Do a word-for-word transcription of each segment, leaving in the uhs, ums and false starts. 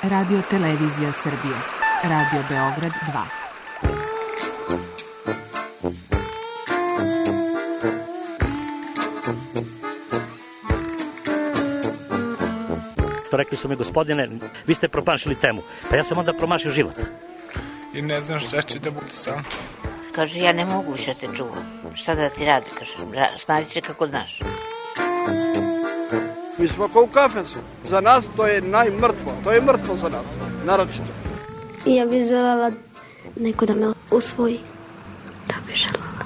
Radio Televizija Srbije. Radio Beograd dva. Rekli su mi, gospodine, vi ste promašili temu. Pa ja sam onda promašio život. I ne znam šta će da bude sam. Kaže, ja ne mogu više te čuvam. Šta da ti radi, kaže, snađi se kako znaš. Mi smo kao u kafesu. Za nas to je najmrtvo. To je mrtvo za nas, naročito. Ja bih željela neko da me usvoji. Da bih željela.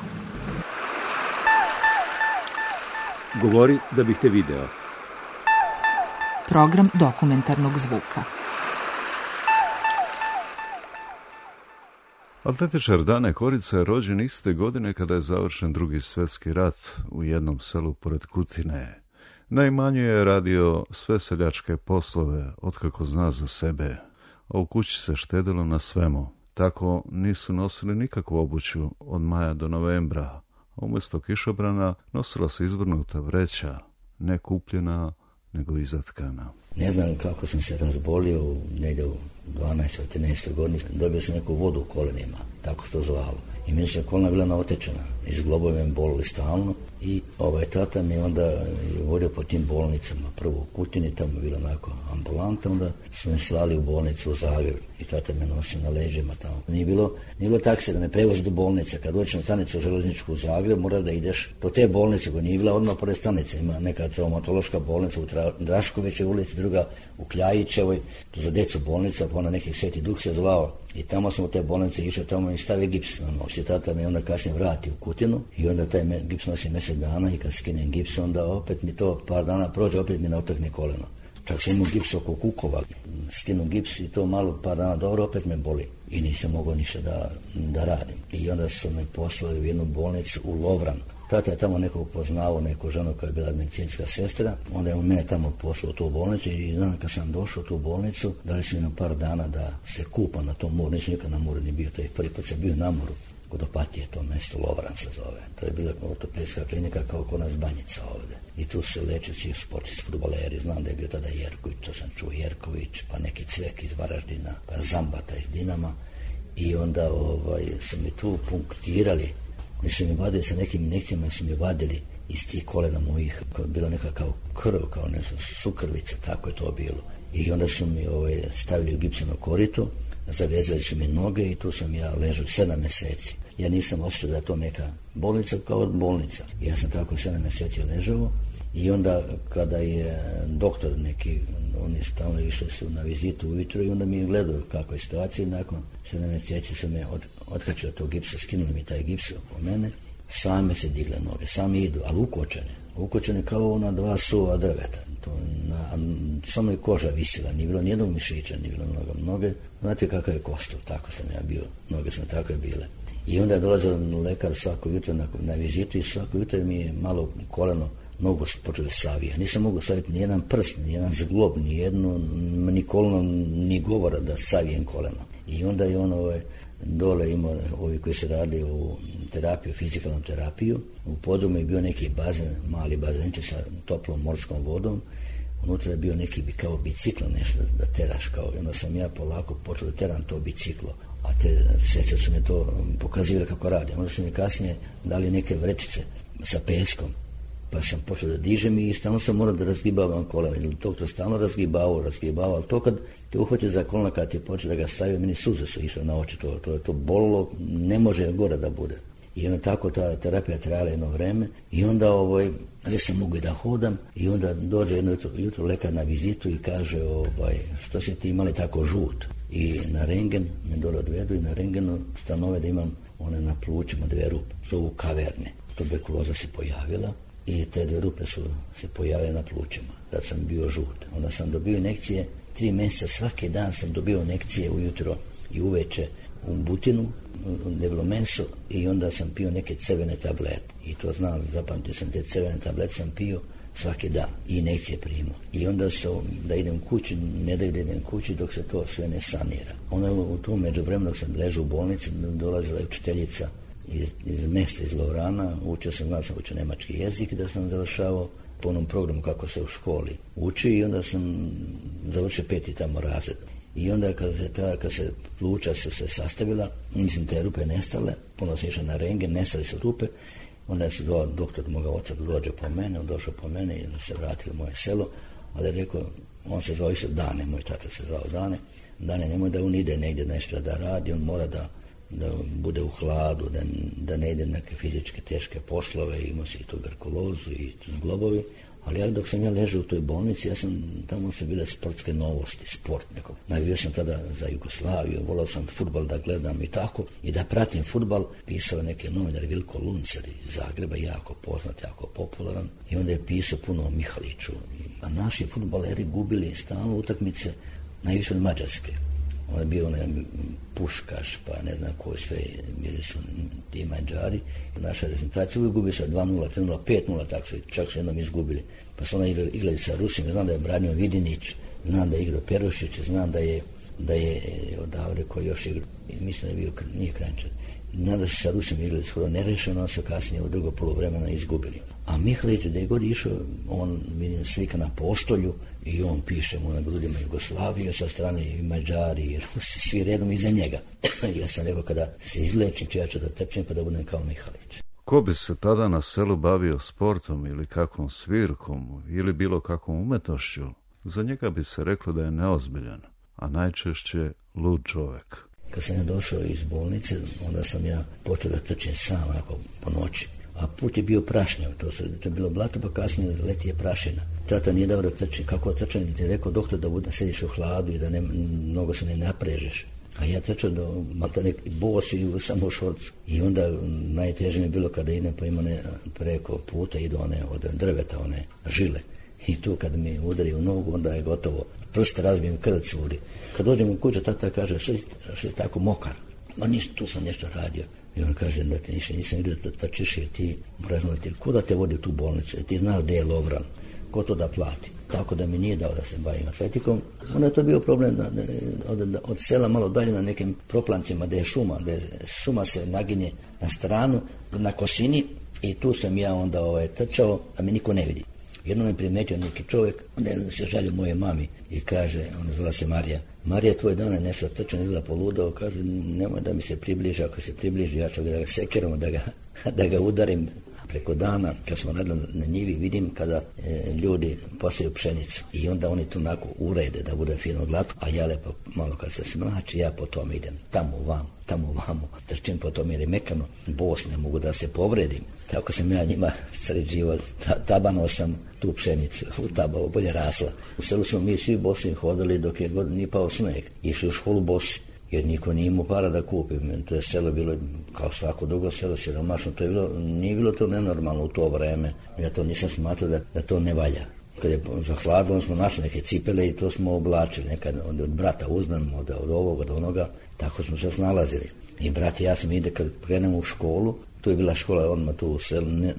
Govori da bih te video. Program dokumentarnog zvuka. Atletičar Dane Korica je rođen iste godine kada je završen Drugi svjetski rat u jednom selu pored Kutine. Na imanju je radio sve seljačke poslove, otkako zna za sebe, a u kući se štedilo na svemu. Tako nisu nosili nikakvu obuću od maja do novembra, a umjesto kišobrana nosila se izvrnuta vreća, ne kupljena, nego izatkana. Ne znam kako sam se razbolio, negdje u dvanaestoj trinaestoj godini, dobio sam neku vodu u kolenima, tako se to zvalo. I meni se kolena bila naotečena, iz globove me bolili stalno i ovaj tata mi onda vodio po tim bolnicama. Prvo u Kutini, tamo je bila onako ambulanta, onda su me slali u bolnicu u Zagreb i tata me nosio na leđima tamo. Nije bilo, nije bilo taksi da me prevozi do bolnice. Kad dođeš na stanicu železničku u Zagreb, mora da ideš do te bolnice, koja nije bila odmah pored stanice. Ima neka traumatološka bolnica u Draškovićevoj ulici, druga u Kljajićevoj, to za djecu bolnica, pa ona nekih Sveti Duh se zvao. I tamo sam u te bolnice išao, tamo mi stavi gips na nos. I tata me onda kasnije vrati u Kutinu i onda taj me, gips nosi mjesec dana i kad skinem gips, onda opet mi to par dana prođe, opet mi naotekne koleno. Čak sam imao gips oko kukova, skinu gips i to malo par dana dobro, opet me boli. I nisam mogao ništa da, da radim. I onda su me poslali u jednu bolnicu u Lovran. Tata je tamo nekog poznao, neku ženu koja je bila medicinska sestra, onda je on mene tamo poslao u tu bolnicu i znam kad sam došao u tu bolnicu, dali su mi na par dana da se kupa na tom moru, nisam nikad na moru ni bio, to je prvi put sam bio na moru, kod Opatije, to mjesto Lovran se zove, to je bila ortopedska klinika kao kod nas Banjica ovdje. I tu se leče svi sportisti, fudbaleri, znam da je bio tada Jerković, to sam čuo Jerković, pa neki Cvek iz Varaždina, pa Zambata iz Dinama i onda ovaj, su mi tu punktirali. Mi su mi vadili sa nekim injekcijama, su mi vadili iz tih kolena mojih, bila neka kao krv, kao nešto sukrvica, tako je to bilo. I onda su mi ovaj, stavili u gipsano korito, zavezali su mi noge i tu sam ja ležao sedam mjeseci. Ja nisam osjećao da je to neka bolnica kao bolnica. Ja sam tako sedam mjeseci ležao i onda kada je doktor neki, oni su tamo išli su na vizitu ujutro i onda mi je gledao kakva je situacija i nakon sedam mjeseci su me od, otkačio od tog gipsa, skinuli mi taj gips oko mene, same se digle noge, same idu, ali ukočene, ukočene kao na dva suva drveta. To na, samo je koža visila, nije bilo nijednog mišića, nije bilo mnogo noge, znate kakav je kostur, tako sam ja bio, noge su mi tako je bile. I onda je dolazio lekar svako jutro na, na vizitu i svako jutro mi je malo koleno nogu počeo da savija. Nisam mogu saviti ni jedan prst, ni jedan zglob, ni jedno, ni koleno, ni govora da savijem koleno. I onda je on ovaj, dole imao, ovi koji se radi u terapiju, fizikalnu terapiju, u podrumu je bio neki bazen, mali bazenče sa toplom morskom vodom, unutra je bio neki kao biciklo nešto da, da teraš kao, i onda sam ja polako počeo da teram to biciklo, a te sestre su me to pokazivali kako radi. Onda su mi kasnije dali neke vrećice sa peskom, pa sam počeo da dižem i stalno sam morao da razgibavam kolena. Ili doktor stalno razgibavao, razgibavao, ali to kad te uhvati za kolena, kad ti počeo da ga stavio, meni suze su išle na oči, to, to je to bolilo, ne može gore da bude. I onda tako ta terapija trajala jedno vreme i onda ovaj, već sam mogu da hodam i onda dođe jedno jutro, jutro lekar na vizitu i kaže ovaj, što se ti imali tako žut. I na rengen me dole odvedu i na rengenu stanove da imam one na plućima dve rupe, zovu kaverne. Tuberkuloza se pojavila i te dve rupe su se pojavile na plućima. Tad sam bio žut. Onda sam dobio injekcije, tri mjeseca svaki dan sam dobio injekcije ujutro i uveče u butinu, debelo meso i onda sam pio neke crvene tablete. I to znam, zapamtio sam te crvene tablete, sam pio svaki dan i injekcije primao. I onda su, da idem kući, ne daju da idem kući dok se to sve ne sanira. Onda u tom međuvremenu dok sam ležao u bolnici, dolazila je učiteljica iz, iz mesta, iz Lovrana, učio sam, znam sam učio nemački jezik da sam završavao po onom programu kako se u školi uči i onda sam završio peti tamo razred. I onda kad se, ta, kad se pluća su se sastavila, mislim te rupe nestale, puno sam išao na rengen, nestali su rupe, onda se zvao doktor moga oca da dođe po mene, on došao po mene i se vratili u moje selo, ali je rekao, on se zvao isto Dane, moj tata se zvao Dane, Dane nemoj da on ide negdje nešto da radi, on mora da, da bude u hladu, da, da ne ide neke fizičke teške poslove, imao se i tuberkulozu i zglobovi, ali ja dok sam ja ležao u toj bolnici, ja sam, tamo su bile sportske novosti, sport nekog. Navio sam tada za Jugoslaviju, volao sam fudbal da gledam i tako, i da pratim fudbal, pisao neke novinar Vilko Luncer iz Zagreba, jako poznat, jako popularan, i onda je pisao puno o Mihaliću. A naši fudbaleri gubili stalno utakmice, najviše od Mađarske. On je bio onaj Puškaš, pa ne znam koji sve, bili su ti Mađari. Naša reprezentacija uvijek gubi sa dva nula, tri nula, pet nula, tako su, čak su jednom izgubili. Pa su onda igrali sa Rusima, znam da je branio Vidinić, znam da je igrao Perušić, znam da je, da je odavde koji još igrao, mislim da je bio, nije Kranjčar. Znam da su sa Rusima igrali skoro nerešeno, on su kasnije u drugo poluvremena izgubili. A Mihalić, da je god išao, on vidim slika na postolju i on piše mu na grudima Jugoslaviju, sa strane i Mađari i Rusi, svi redom iza njega. Ja sam rekao kada se izlečim, ću ja ću da trčim pa da budem kao Mihalić. Ko bi se tada na selu bavio sportom ili kakvom svirkom ili bilo kakvom umetošću, za njega bi se reklo da je neozbiljan, a najčešće lud čovjek. Kad sam ja došao iz bolnice, onda sam ja počeo da trčim sam, ako po noći. A put je bio prašnjav, to, su, to je bilo blato, pa kasnije leti je prašina. Tata nije dao da trči, kako trčanje, ti je rekao doktor da bude, sediš u hladu i da ne, mnogo se ne naprežeš. A ja trčao do malta neki bos i samo u šorcu. I onda najteže mi je bilo kada idem, pa ima ne, preko puta idu one od drveta, one žile. I tu kad mi udari u nogu, onda je gotovo. Prste razbijem, krv curi. Kad dođem u kuću, tata kaže, što si tako mokar? Ma ništa, tu sam nešto radio. I on kaže da te nisam, nisam vidio da trčiš jer ti moraš znati ko da te vodi u tu bolnicu, ti znaš gdje je Lovran, ko to da plati. Tako da mi nije dao da se bavim atletikom. Onda je to bio problem da, da, od, od sela malo dalje na nekim proplancima gdje je šuma, gdje šuma se naginje na stranu, na kosini i tu sam ja onda ovaj, trčao da me niko ne vidi. Jednom je primetio neki čovjek, onda je se žalio moje mami i kaže, ona zvala se Marija, Marija, tvoj dan je nešto trčan, izgleda poludao, kaže, nemoj da mi se približi, ako se približi, ja ću da ga sekiram, da ga, da ga udarim. Preko dana, kad smo radili na njivi, vidim kada e, ljudi posiju pšenicu i onda oni tu onako urede da bude fino glatko, a ja lepo malo kad se smrači, ja po tome idem, tamo vam, tamo vamo, trčim po tome jer je mekano, bos, ne mogu da se povredim. Tako sam ja njima sređivao, tabano sam tu pšenicu, u tabavu bolje rasla. U selu smo mi svi bosi hodili dok je god nije pao sneg, išli u školu bosi. Jer niko nije imao para da kupi. To je selo bilo kao svako drugo selo siromašno. To je bilo, nije bilo to nenormalno u to vreme. Ja to nisam smatrao da, da to ne valja. Kad je za hladom smo našli neke cipele i to smo oblačili. Nekad od, od brata uzmemo, od, od ovog, od onoga. Tako smo se snalazili. I brat i ja sam ide kad krenemo u školu. Tu je bila škola odmah tu u selu, ne,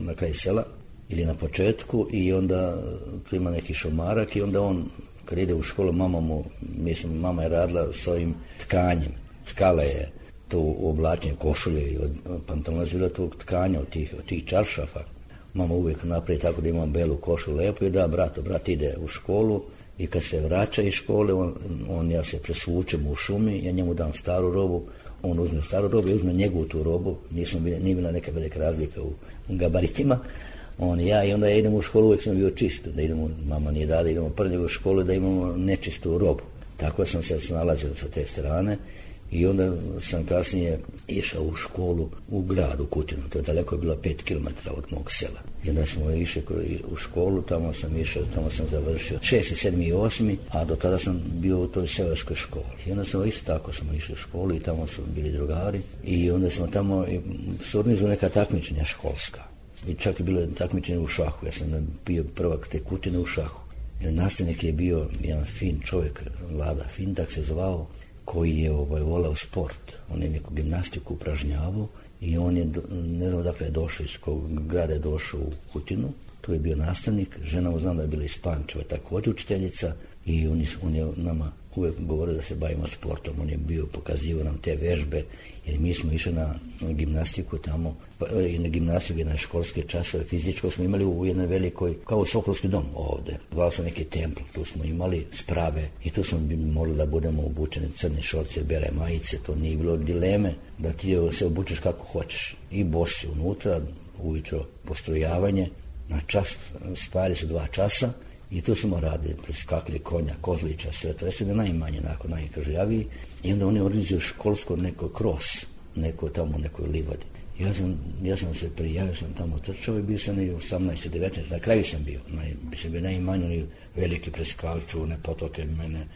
na kraju sela ili na početku i onda tu ima neki šumarak i onda on kad ide u školu, mama mu, mislim, mama je radila s ovim tkanjem. Tkala je tu u oblačenju košulje i od pantalona žila tog tkanja, od tih, od tih čaršafa. Mama uvijek napravi tako da imam belu košulju lepo i da, bratu, brat ide u školu i kad se vraća iz škole, on, on ja se presvučem u šumi, ja njemu dam staru robu, on uzme staru robu i uzme njegovu tu robu, nismo bili, nije bila neka velika razlika u, u gabaritima. On i ja i onda ja idem u školu, uvijek sam bio čist, da idemo, mama nije dala, idemo prvi u školu da imamo nečistu robu. Tako sam se snalazio sa te strane i onda sam kasnije išao u školu u gradu Kutinu, to je daleko bilo pet kilometara od mog sela. I onda smo išli u školu, tamo sam išao, tamo sam završio šesti, sedmi i osmi, a do tada sam bio u toj seoskoj školi. I onda smo isto tako smo išli u školu i tamo su bili drugari i onda smo tamo su organizovali neka takmičenja školska. I čak je bilo takmičenje u šahu. Ja sam bio prvak te Kutine u šahu. Nastavnik je bio jedan fin čovjek, Lada Fin, tak se zvao, koji je ovaj, volao sport. On je neku gimnastiku upražnjavao i on je, ne znam dakle je došao, iz kog grada je došao u Kutinu. Tu je bio nastavnik. Žena mu znam da je bila iz Pančeva, također učiteljica i on je, on je nama uvijek govorio da se bavimo sportom. On je bio, pokazivao nam te vežbe, jer mi smo išli na, na gimnastiku tamo, pa, i na gimnastiku i na školske časove fizičko smo imali u jednoj velikoj, kao Sokolski dom ovdje. Zvao sam neki templ, tu smo imali sprave i tu smo morali da budemo obučeni crne šorce, bele majice, to nije bilo dileme da ti se obučeš kako hoćeš. I bosi unutra, ujutro postrojavanje, na čas, spajali su dva časa, i tu smo radili, preskakli konja, kozlića, sve to. Jeste ga najmanje, nakon najkržljaviji. I onda oni organizuju školsko neko kros, neko tamo, nekoj livadi. Ja sam, ja sam se prijavio, sam tamo trčao i bio sam i osamnaest devetnaest, na kraju sam bio. Naj, bi se bio najmanje, oni veliki preskaču, ne potoke mene,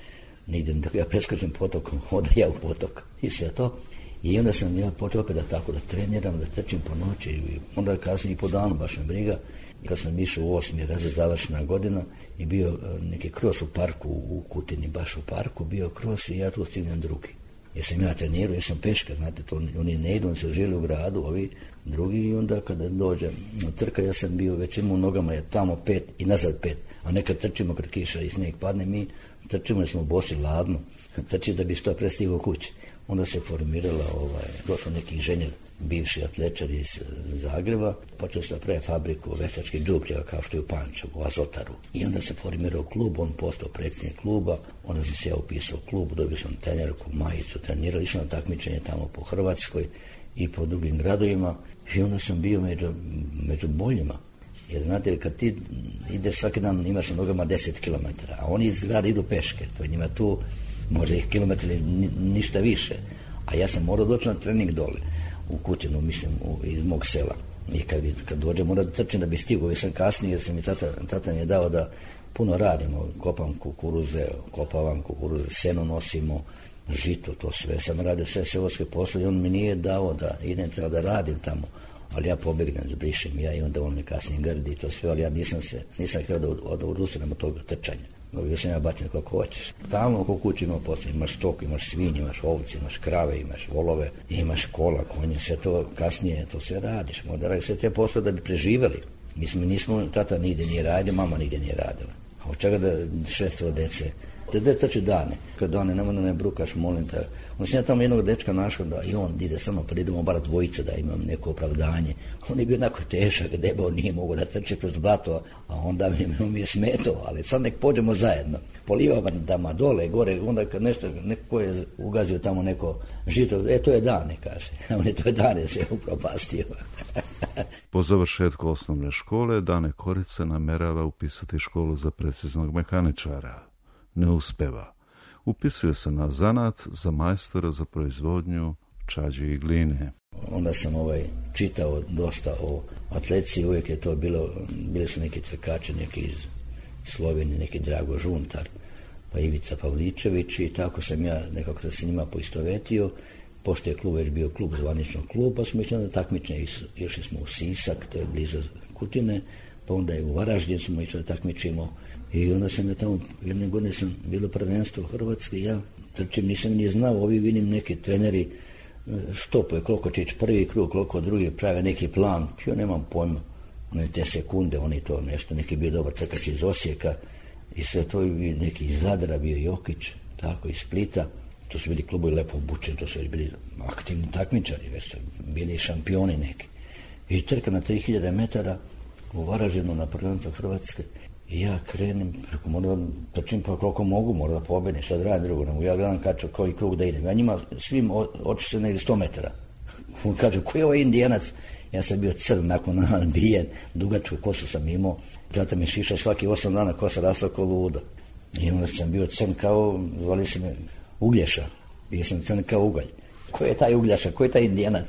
nigde, ja preskačem potokom, oda ja u potok i sve to. I onda sam ja počeo opet da tako da treniram, da trčim po noći i onda kasnije i po danu, baš me briga. Kad sam išao u osmi razred, završena godina i bio neki kros u parku u Kutini, baš u parku, bio kros i ja tu stignem drugi. Jer sam ja trenirao, jer sam peška, znate, to oni ne idu, oni se žili u gradu, ovi drugi i onda kada dođem trka, ja sam bio već imao u nogama, je tamo pet i nazad pet, a nekad trčimo kad kiša i snijeg padne, mi trčimo jer smo bosi ladno, trči da bi što pre stigao kući. Onda se formirala, ovaj, došao neki inženjer, bivši atlečar iz Zagreba, počeo se da pravi fabriku veštačkih đubriva kao što je u Pančevu, u Azotaru. I onda se formirao klub, on postao predsjednik kluba, onda sam se ja upisao u klub, dobio sam trenerku, majicu, trenirao, išao na takmičenje tamo po Hrvatskoj i po drugim gradovima i onda sam bio među, među boljima. Jer znate, kad ti ideš svaki dan, imaš na nogama deset kilometara, a oni iz grada idu peške, to je njima tu možda ih kilometri ni, ništa više. A ja sam morao doći na trening dole, u Kutinu, mislim, u, iz mog sela. I kad, kad dođem, moram da trčim da bi stigao, jer sam kasnije, jer sam mi tata, tata mi je dao da puno radimo, kopam kukuruze, kopavam kukuruze, seno nosimo, žito, to sve. Sam radio sve seoske poslove i on mi nije dao da idem, treba da radim tamo. Ali ja pobegnem, zbrišem ja i onda on mi kasnije grdi i to sve, ali ja nisam se, nisam htio da od, odustanem od toga trčanja. Dobio sam ja bačen kako hoćeš. Tamo oko kući ima posle, imaš stok, imaš svinje, imaš ovce, imaš krave, imaš volove, imaš kola, konje, sve to kasnije, to sve radiš. Možda radiš sve te posle da bi preživjeli. Mislim, nismo, tata nigde nije radio, mama nigde nije radila. A od čega da šestero dece, da da trči dane. Kad dane, nemoj da ne brukaš, molim te. Onda sam ja tamo jednog dečka našao da i on ide sa mnom, pa idemo bara dvojica da imam neko opravdanje. On je bio onako tešak, debao, nije mogo da trče kroz blato, a onda mi, mi je smetao, ali sad nek pođemo zajedno. Polivavam tamo dole, gore, onda kad nešto, neko je ugazio tamo neko žito, e to je Dane, kaže. On je to je Dane se upropastio. Po završetku osnovne škole Dane Korica namerava upisati školu za preciznog mehaničara. Ne uspeva. Upisuje se na zanat za majstora za proizvodnju čađi i gline. Onda sam ovaj čitao dosta o atletici, uvijek je to bilo, bili su neki trkači, neki iz Slovenije, neki Drago Žuntar, pa Ivica Pavličević i tako sam ja nekako se njima poistovetio. Pošto je klub već bio klub, zvanično klub, pa smo išli na takmičenje, išli smo u Sisak, to je blizu Kutine, pa onda je u Varaždin smo išli da takmičimo i onda sam ja tamo, jedne godine sam bilo prvenstvo u Hrvatske, ja trčim, nisam ni znao, ovi vidim neki treneri štopuje koliko će ići prvi krug, koliko drugi prave neki plan, ja nemam pojma, one te sekunde, oni to nešto, neki bio dobar trkač iz Osijeka i sve to i neki iz Zadra bio Jokić, tako iz Splita. To su bili klubovi lepo obučeni, to su bili aktivni takmičari, već su bili šampioni neki. I trka na tri hiljade metara u Varaždinu na prvenstvo Hrvatske. I ja krenem, preko moram trčim pa koliko mogu, moram da pobedim, šta da radim drugo. Ja gledam kaču koji krug da idem. Ja njima svim očište negdje sto metara. On kaže, ko je ovaj Indijanac? Ja sam bio crn, nakon nabijen, dugačku kosu sam imao. Tata mi šiša svaki osam dana, kosa rasla ko ludo. I onda sam bio crn kao, zvali se me Uglješa, bio sam crn kao ugalj. Ko je taj Uglješa, ko je taj Indijanac?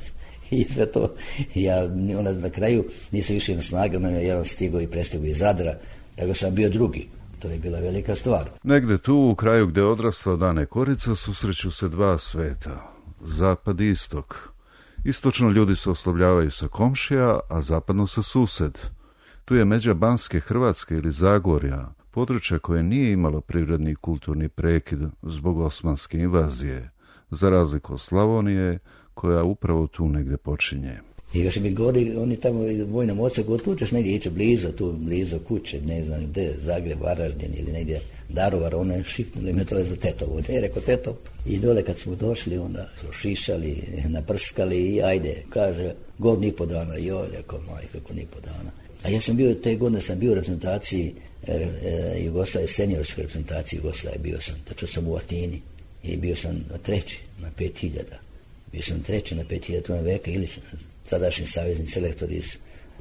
I sve to, ja onda na kraju nisam više na snage, onda je jedan stigao i prestigao iz Zadra, tako sam bio drugi. To je bila velika stvar. Negde tu, u kraju gde je odrasla Dane Korica, susreću se dva sveta, zapad i istok. Istočno ljudi se oslovljavaju sa komšija, a zapadno sa sused. Tu je međa Banske Hrvatske ili Zagorja, područje koje nije imalo prirodni i kulturni prekid zbog osmanske invazije, za razliku od Slavonije, koja upravo tu negde počinje. I još mi govori, oni tamo u vojnom odsjeku, tu ćeš negdje ići blizu, tu blizu kuće, ne znam gdje, Zagreb, Varaždin ili negdje Daruvar, ona je šipnuli me to za Tetovo, ne, rekao Tetov. I dole kad smo došli, onda su šišali, naprskali i ajde, kaže, godinu i po dana, joj, rekao, majka, godinu i po dana. A ja sam bio, te godine sam bio u reprezentaciji e, e, Jugoslavije, seniorskoj reprezentaciji Jugoslavije, bio sam, tačno sam u Atini i bio sam treći na pet hiljada. Bio sam treći na pet hiljada, to je Veka Ilić, sadašnji savezni selektor iz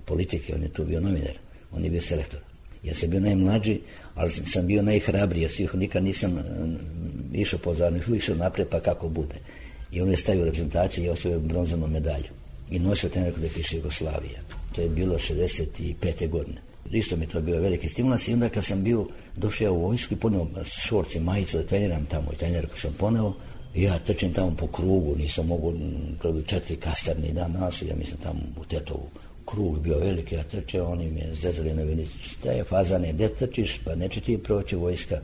politike, on je tu bio novinar, on je bio selektor. Ja sam bio najmlađi, ali sam bio najhrabriji, ja svih nikad nisam uh, išao pozorno, išao naprijed pa kako bude. I on je stavio reprezentaciju i osvojio bronzanu medalju. I nosio trener gdje piše Jugoslavija. To je bilo šezdeset pete godine. Isto mi to bio veliki stimulans i onda kad sam bio, došao ja u vojsku i poneo šorc i majicu da treniram tamo i trener kad sam poneo, ja trčim tamo po krugu, nisam mogu, četiri kastarni dan nasu, ja mislim tamo u Tetovu. Krug bio veliki, ja trčeo, oni mi je zezali na velici. Šta je fazane, gdje trčiš, pa neće ti proći vojska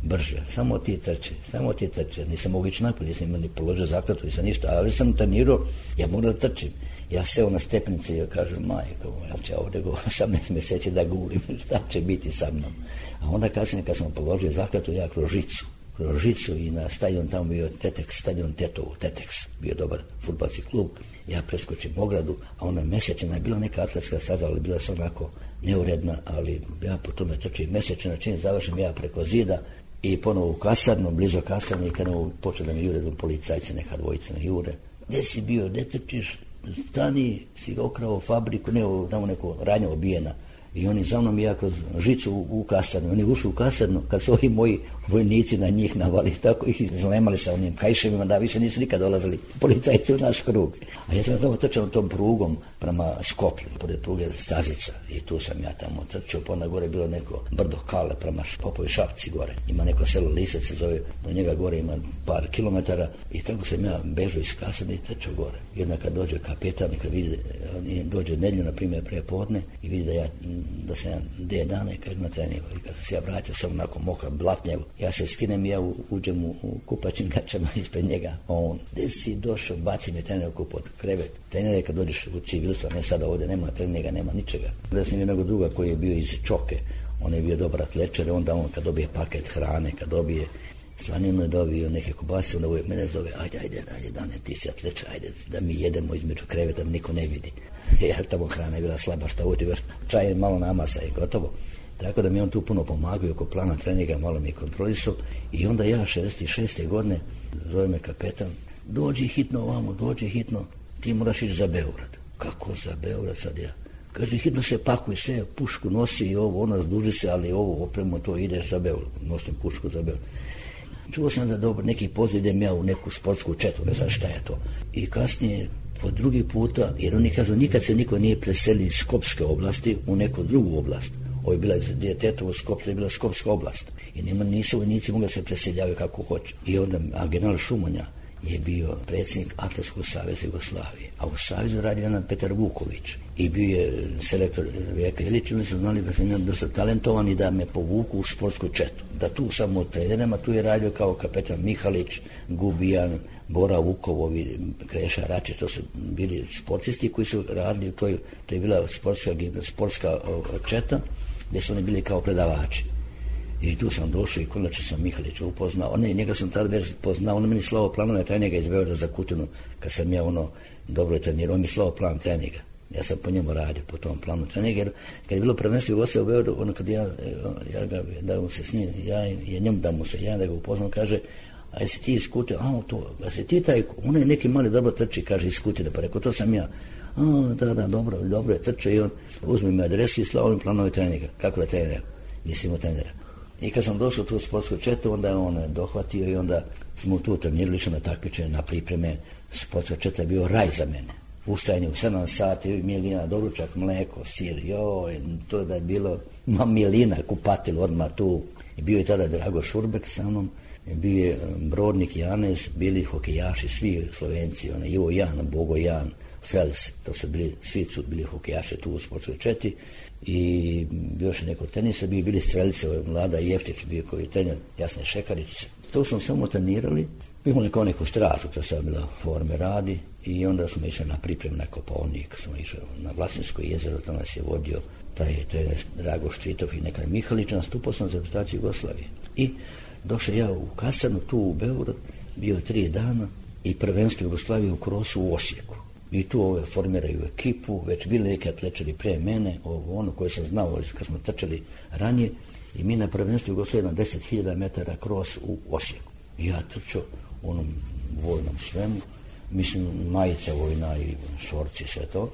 brže. Samo ti trče, samo ti trče. Nisam mogu ići naprijed, nisam imao ni položio zakletu, nisam ništa, ali sam trenirao, ja moram da trčim. Ja seo na stepnici i ja kažem, majko, ja ću ovdje go osamnaest mjeseci da gulim, šta će biti sa mnom. A onda kasnije kad sam položio zakletu, ja kroz žicu. kroz žicu i na stadion tamo bio Teteks, stadion Tetovo, Teteks, bio dobar fudbalski klub. Ja preskočim ogradu, a ona mesečina je bila neka atletska staza, ali bila sam onako neuredna, ali ja po tome trčim mesečina, čim završim ja preko zida i ponovo u kasarnu, blizu kasarne i kad počeo da mi jure do policajce, neka dvojica na jure. Gdje si bio, gdje trčiš, stani, si okrao fabriku, ne, tamo neko radnja obijena. I oni za mnom ja kroz žicu u, u kasarnu. Oni ušli u kasarnu, kad su ovi moji vojnici na njih navali, tako ih izlemali sa onim kajševima, da više nisu nikad dolazili policajci u naš krug. A ja sam tamo trčao tom prugom prema Skoplju, pored pruge Stazica. I tu sam ja tamo trčao, pa onda gore bilo neko brdo Kale prema Popovi Šapci gore. Ima neko selo Lisec se zove, do njega gore ima par kilometara i tako sam ja bežao iz kasarne i trčao gore. Jedna kad dođe kapetan i kad vidi, dođe nedjelju, na primjer, pre podne i vidi da ja da sam ja de dana i kaže na treningu. I kad sam se ja vraćao, sam onako moka blatnjev. Ja se skinem i ja uđem u, u kupačim gačama ispred njega. On, gdje si došao, baci me trener u pod krevet. Trener je kad dođeš u civilstvo, ne sada ovdje, nema treninga, nema ničega. Da sam jednog druga koji je bio iz Čoke, on je bio dobar atlečer, onda on kad dobije paket hrane, kad dobije slaninu je dobio neke kobase, onda uvijek mene zove, ajde, ajde, ajde, Dane, ti si atlečer, ajde, da mi jedemo između kreveta, da niko ne vidi. Ja tamo hrana je bila slaba, šta uvijek, čaj malo namasa i gotovo. Tako da mi on tu puno pomagao oko plana treninga, malo mi je kontrolisao i onda ja šezdeset šeste godine zove me kapetan, dođi hitno ovamo, dođi hitno, ti moraš ići za Beograd. Kako za Beograd sad ja? Kaže, hitno se pakuj sve, pušku nosi i ovo, ona zduži se, ali ovo opremo to ideš za Beograd, nosim pušku za Beograd. Čuo sam da dobro, neki poziv idem ja u neku sportsku četu, ne znam šta je to. I kasnije, po drugi puta, jer oni kažu, nikad se niko nije preselio iz Skopske oblasti u neku drugu oblast. Ovo je bila Tetovo, Skopje je bila Skopska oblast. I nema, nisu vojnici mogli se preseljavaju kako hoće. I onda, a general Šumanja je bio predsjednik Atletskog saveza Jugoslavije. A u savezu radio jedan Petar Vuković. I bio je selektor Veka Ilić. Oni su znali da sam ja dosta talentovan i da me povuku u sportsku četu. Da tu samo od trenerima, tu je radio kao kapetan Mihalić, Gubijan, Bora Vukovovi, Kreša Račić, to su bili sportisti koji su radili, to je, to je bila sportska, sportska četa, gdje su oni bili kao predavači. I tu sam došao i konačno sam Mihalića upoznao. Ne, njega sam tada već poznao, on meni slao planove treninga iz Beograda za Kutinu, kad sam ja ono dobro trenirao, on mi slao plan treninga. Ja sam po njemu radio, po tom planu treninga, jer kad je bilo prvenstvo Jugoslavije u Beogradu, ono kad ja, ja ga, da mu se s njim, ja je njemu da mu se, ja da ga upoznam, kaže, a jesi ti iz Kutine, a to, a si ti taj, on je neki mali dobro trči, kaže iz Kutine, pa rekao, to sam ja. A, da, da, dobro, dobro je trče i on uzme mi adresu i slao mi planove treninga, kako da trenira, nisi imao trenera. I kad sam došao tu u sportsku četu, onda je on dohvatio i onda smo tu trenirali, išli na takmičenje, na pripreme. Sportska četa je bio raj za mene. Ustajanje u sedam sati, milina, doručak, mleko, sir, joj, to da je bilo, ma milina, kupatil, odmah tu. I bio je tada Drago Šurbek sa mnom, bio je Brodnik Janez, bili hokejaši, svi Slovenci, one, Ivo Jan, Bogo Jan, Fels, to su bili, svi su bili hokejaši tu u sportskoj četi. I još neko tenisa, bio bili strelice, Mlada Jeftić bio koji trener, Jasne Šekarić, To smo samo trenirali, imali kao neku stražu, to sad bila forme radi i onda smo išli na priprem na Kopaonik, smo išli na Vlasinsko jezero, to nas je vodio taj trener Drago Štvitov i nekaj Mihalić, nastupao sam za reprezentaciju Jugoslavije. I došao ja u kasarnu, tu u Beograd, bio tri dana i prvenstvo Jugoslavije u krosu u Osijeku. I tu ove formiraju ekipu, već bili neki atlečari pre mene, ovo ono koje sam znao kad smo trčali ranije, i mi na prvenstvu Jugoslavije na deset hiljada metara kros u Osijeku. I ja trčao u onom vojnom svemu, mislim majica vojna i šorci, sve to.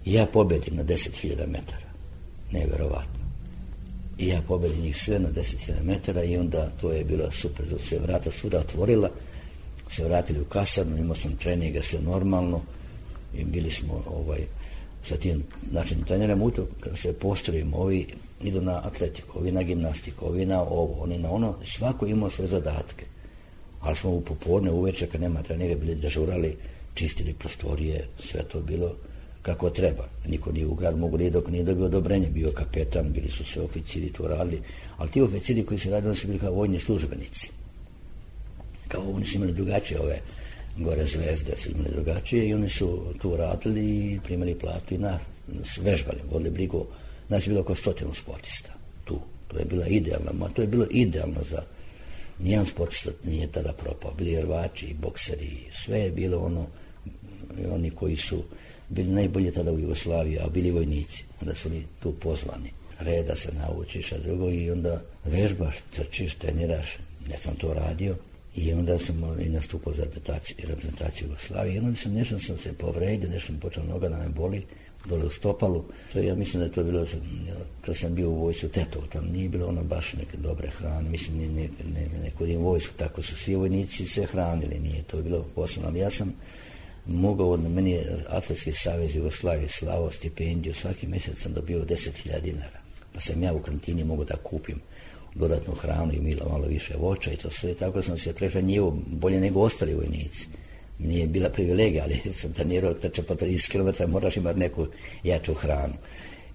I ja pobedim na deset hiljada metara. Neverovatno. I ja pobedim njih sve na deset hiljada metara i onda to je bilo super, zato se vrata svuda otvorila, se vratili u kasarnu, imao sam treninga, sve normalno i bili smo ovaj, sa tim način trenerem u to, kada se postrojimo, ovi idu na atletiku, ovi na gimnastiku, ovi na ovo, oni na ono, svako imao svoje zadatke. Ali smo u popodne, uveče, kad nema trenera, bili dežurali, čistili prostorije, sve to bilo kako treba. Niko nije u grad mogu nije dok nije dobio odobrenje, bio kapetan, bili su sve oficiri, to radili, ali ti oficiri koji su radili, oni su bili kao vojni službenici. Kao oni su imali drugačije ove gore zvezde, su imali drugačije i oni su tu radili i primali platu i nas vežbali, vodili brigu. Znači, bilo oko stotinu sportista tu. To je bila idealna, ma to je bilo idealno za nijedan sportista nije tada propao. Bili rvači, bokseri, sve je bilo ono, oni koji su bili najbolji tada u Jugoslaviji, a bili vojnici. Onda su li tu pozvani. Reda se naučiš, a drugo i onda vežbaš, trčiš, treniraš. Ja sam to radio i onda sam i nastupao za reprezentaciju, reprezentaciju Jugoslavije. I onda sam nešto sam se povredio, nešto sam počeo noga da me boli, dole u stopalu. To ja mislim da je to bilo, kad sam bio u vojsku Tetovo, tam nije bilo ono baš neke dobre hrane, mislim ne, ne, ne, nekodim vojsku, tako su svi vojnici sve hranili, nije to bilo posebno, ali ja sam mogao, meni je Atletski savez Jugoslavije slao stipendiju, svaki mjesec sam dobio deset hiljada dinara, pa sam ja u kantini mogao da kupim dodatnu hranu i milo, malo više voća i to sve, tako sam se prehranjivo bolje nego ostali vojnici. Nije bila privilegija, ali sam trenirao trče po trideset kilometara, moraš imati neku jaču hranu.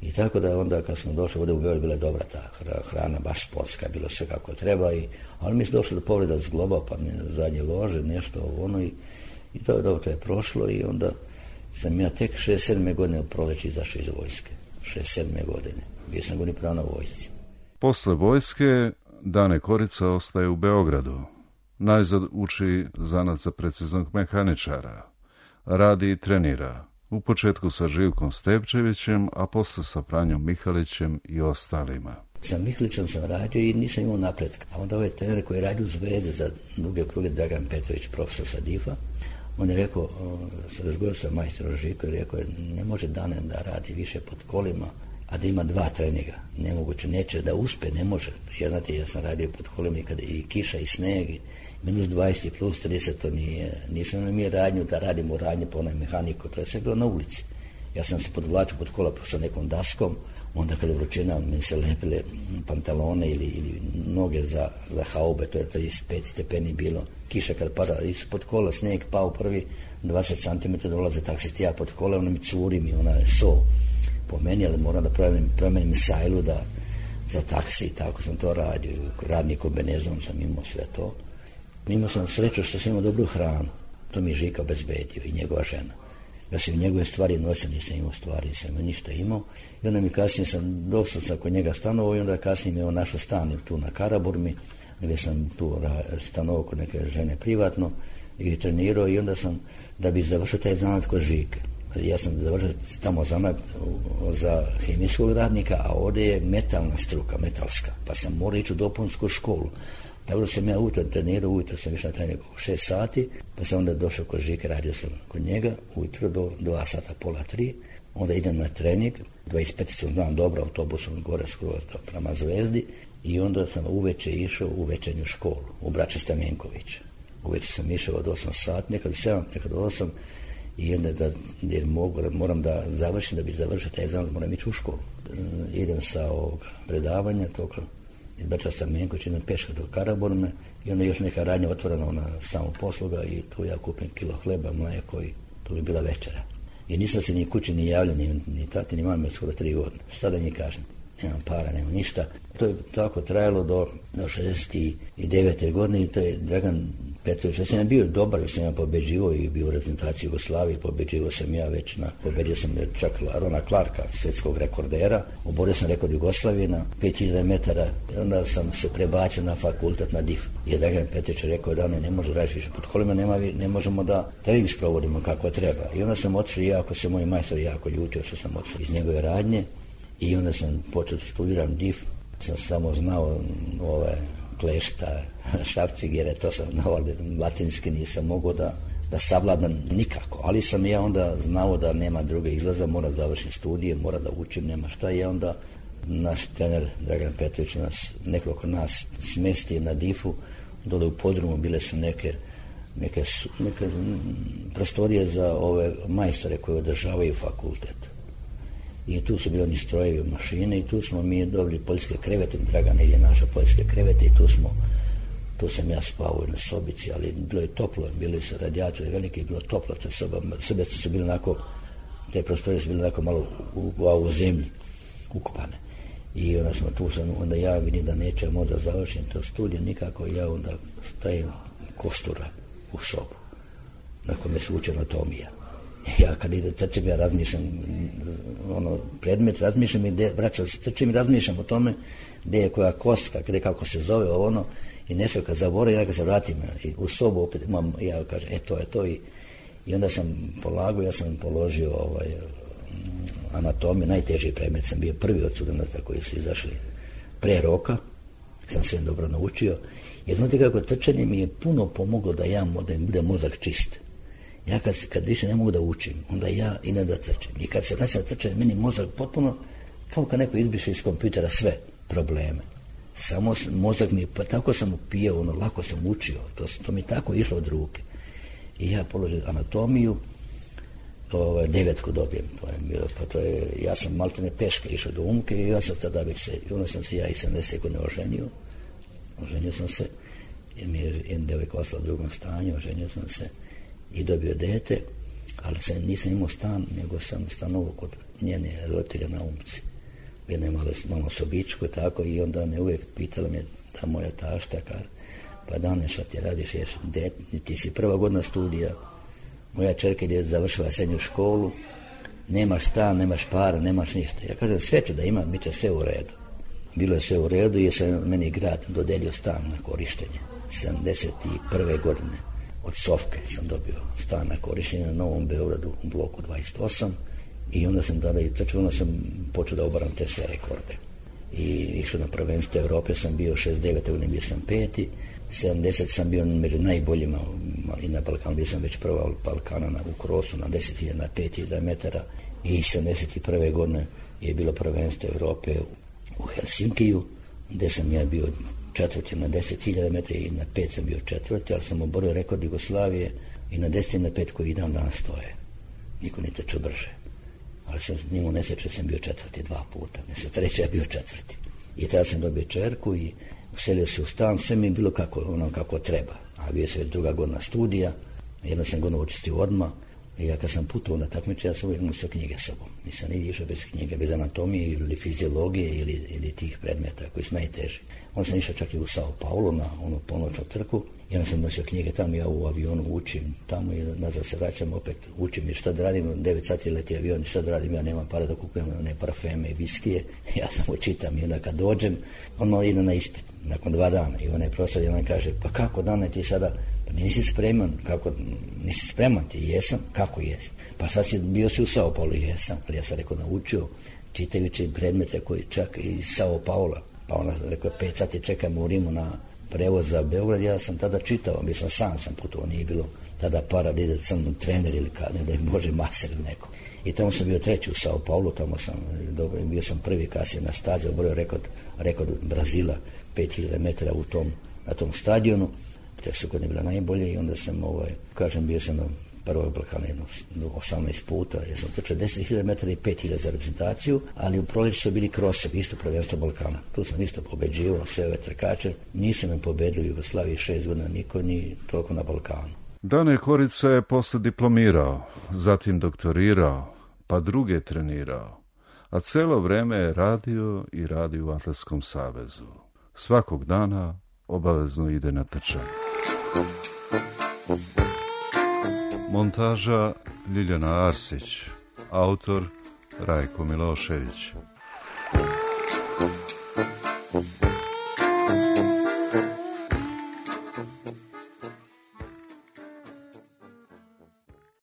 I tako da onda kad smo došli ovdje u Beograd, bila je dobra ta hrana, baš sportska, bilo sve kako treba. I, ali mi smo došli do povreda zgloba, pa mi zadnje lože, nešto ono i, i to je dobro, to je prošlo i onda sam ja tek šezdeset sedme godine u proleći izašao iz vojske. šezdeset sedme godine. Bio sam godinu pravo na vojsci. Posle vojske Dane Korica ostaje u Beogradu. Najzad uči zanat za preciznog mehaničara. Radi i trenira. U početku sa Živkom Stepčevićem, a posle sa Franjom Mihalićem i ostalima. Sa Mihalićem sam radio i nisam imao napretka. A onda ovaj trener koji je radio u Zvezde za duge kruge, Dragan Petrović, profesor sa Difa, on je rekao, se razgovorio sa majstorom Živkom i rekao, ne može Dane da radi više pod kolima, a da ima dva treninga. Nemoguće, neće da uspe, ne može. Ja, znate, ja sam radio pod kolima i kada i kiša i sneg, i minus dvadeset plus trideset, to nije, nisam na mi radnju da radimo radnje po onaj mehaniku, to je sve bilo na ulici. Ja sam se podvlačio pod kola sa nekom daskom, onda kada vrućina mi se lepile pantalone ili, ili noge za, za haube, to je trideset pet stepeni bilo, kiša kad pada, ispod kola sneg pao prvi dvadeset centimetara, dolaze taksist ja pod kola, ona mi curi mi, ona je so po meni, ali moram da promenim, promenim sajlu da, za taksi i tako sam to radio. Radni kombinezon sam imao sve to. Imao sam sreću što sam imao dobru hranu. To mi je Žika obezbedio i njegova žena. Ja sam njegove stvari nosio, nisam imao stvari, nisam imao ništa imao. I onda mi kasnije sam, došao sam kod njega stanovao i onda kasnije mi je on našao stan tu na Karaburmi, gdje sam tu stanovao kod neke žene privatno i trenirao i onda sam, da bi završio taj zanat kod Žike. Ja sam završio tamo zanat za hemijskog radnika, a ovdje je metalna struka, metalska, pa sam morao ići u dopunsku školu. Tako da sam ja ujutro trenirao, ujutro sam išao na trening oko šest sati, pa sam onda došao kod Žike, radio sam kod njega, ujutro do dva sata, pola tri, onda idem na trening, dvadeset pet znam dobro, autobusom gore skroz prema Zvezdi, i onda sam uveče išao u večernju školu, u Braće Stamenkovića. Uveče sam išao od osam sati, nekad sedam, nekad osam, i onda da, jer mogu, moram da završim, da bi završio taj zanat, moram ići u školu. Idem sa ovoga predavanja, toga, iz Braća Stamenkovića, idem peška do Karaburme i onda još neka radnja otvorena na samom posluga i tu ja kupim kilo hleba, mlijeko i to bi bila večera. I nisam se ni kući ni javljao, ni, ni tati, ni mami, skoro tri godine. Šta da njih kažem? nemam para, nemam ništa. To je tako trajalo do, do šezdeset devete godine i to je Dragan Petrović. Ja sam bio dobar, ja sam ja pobeđivao i bio u reprezentaciji Jugoslavije, pobeđivao sam ja već na, pobedio sam čak Rona Clarka, svjetskog rekordera, oborio sam rekord Jugoslavije na pet hiljada metara, i onda sam se prebacio na fakultet na D I F. I Dragan Petrović rekao da ne, ne može raditi više pod kolima, nema, ne možemo da trening sprovodimo kako treba. I onda sam otišao, jako se moj majstor jako ljutio što sam otišao iz njegove radnje i onda sam počeo da studiram D I F, sam samo znao ove klešta, šrafcigere, to sam znao, ali latinski nisam mogao da, da savladam nikako. Ali sam ja onda znao da nema druge izlaza, mora završiti studije, mora da učim, nema šta. I onda naš trener Dragan Petrović nas, nekoliko nas smesti na D I F-u, dole u podrumu bile su neke, neke, neke prostorije za ove majstore koje održavaju fakultet. I tu su bili oni strojevi, mašine i tu smo mi dobili poljske krevete, Dragan je našao poljske krevete i tu smo, tu sam ja spavao na sobici, ali bilo je toplo, bili su radijatori veliki, bilo toplo, te soba, sobice su bili onako, te prostorije su bili onako malo u, u, u zemlji, ukopane. I onda smo tu, sam, onda ja vidim da neće možda završim to studije nikako, ja onda stavim kostura u sobu, na kome se uči anatomija. Ja kad ide trčim, ja razmišljam ono, predmet, razmišljam i gde, vraćam se, trčim i razmišljam o tome gde je koja kostka, gde kako se zove ono i nešto kad zaboravim, ja kad se vratim i u sobu opet imam, ja kažem, e to je to i, i onda sam polagao, ja sam položio ovaj, anatomiju, najteži predmet, sam bio prvi od studenata koji su izašli pre roka, sam sve dobro naučio, jer znate kako trčanje mi je puno pomoglo da ja da mi bude mozak čist. Ja kad, kad više ne mogu da učim, onda ja i ne da trčem. I kad se vraća trčanje, meni mozak potpuno, kao kad neko izbriše iz kompjutera sve probleme. Samo mozak mi, pa tako sam upijao, ono, lako sam učio, to, to mi tako išlo od ruke. I ja položim anatomiju, ovaj, devetku dobijem, to je bilo, pa to je, ja sam maltene peške išao do Umke i ja sam tada već se, i onda sam se ja i sedamdesete godine oženio, oženio sam se, jer mi je jedna devojka ostala u drugom stanju, oženio sam se, i dobio dete, ali sam, nisam imao stan, nego sam stanovao kod njene roditelja na Umci. Jedna je malo, malo sobičko tako i onda me uvijek pitala me ta moja tašta, kad, pa Dane šta ti radiš, jer det, ti si prva godina studija, moja čerka je završila srednju školu, nemaš stan, nemaš para, nemaš ništa. Ja kažem, sve ću da ima, bit će sve u redu. Bilo je sve u redu i sam meni grad dodelio stan na korištenje, sedamdeset prve godine. Od Sofke sam dobio stan na korištenje na Novom Beogradu u bloku dvadeset osam i onda sam tada i trčao, onda sam počeo da obaram te sve rekorde. I išao na prvenstvo Europe, sam bio šezdeset devete godine, bio sam peti, sedamdeset sam bio među najboljima i na Balkanu, bio sam već prva Balkana na, u krosu na deset hiljada, na pet hiljada metara i sedamdeset prve godine je bilo prvenstvo Europe u Helsinkiju, gde sam ja bio četvrti na deset hiljada metara i na pet sam bio četvrti, ali sam oborio rekord Jugoslavije i na deset i na pet koji i dan danas stoje. Niko ne trče brže. Ali sam nimao nesreće, sam bio četvrti dva puta. Nesreće treće, ja bio četvrti. I tada sam dobio čerku i uselio se u stan, sve mi je bilo kako, ono, kako treba. A bio se već druga godina studija, jedno sam godinu učistio odmah. I ja kad sam putovao na takmiče, ja sam uvijek nosio knjige sobom. Nisam ni išao bez knjige, bez anatomije ili fiziologije ili, ili tih predmeta koji su najteži. On sam išao čak i u Sao Paulo na onu ponoćnu trku i onda sam nosio knjige tamo, ja u avionu učim tamo i nazad se vraćam, opet učim i šta da radim, devet sati leti avion i šta da radim, ja nemam para da kupujem one parfeme i viskije, ja samo čitam i onda kad dođem, on ide na ispit, nakon dva dana i onaj profesor jedan kaže, pa kako Dane ti sada, pa nisi spreman, kako, nisi spreman ti, jesam, kako jesi, pa sad si bio si u Sao Paulo, jesam, ali ja sam rekao naučio, čitajući predmete koji čak iz Sao Paula, pa ona rekao, pet sati čekam u Rimu na prevoz za Beograd, ja sam tada čitao, bio sam sam sam putovao, nije bilo tada para da ide sam trener ili ka, ne da je Bože maser ili neko. I tamo sam bio treći u Sao Paulo, tamo sam, bio sam prvi kasnije na stazi, oborio rekord, rekord Brazila, pet hiljada metara u tom, na tom stadionu, te su godine bila najbolje i onda sam, ovaj, kažem, bio sam na prvog Balkana jedno osamnaest puta, ja sam trčao deset hiljada metara i pet hiljada za reprezentaciju, ali u proljeću su bili krosevi, isto prvenstvo Balkana. Tu sam isto pobeđivao sve ove trkače, nisu me pobedili u Jugoslaviji šest godina niko, ni toliko na Balkanu. Dane Horica je posle diplomirao, zatim doktorirao, pa druge trenirao, a celo vreme je radio i radi u Atletskom savezu. Svakog dana obavezno ide na trčanje. Montaža Ljiljana Arsić, autor Rajko Milošević.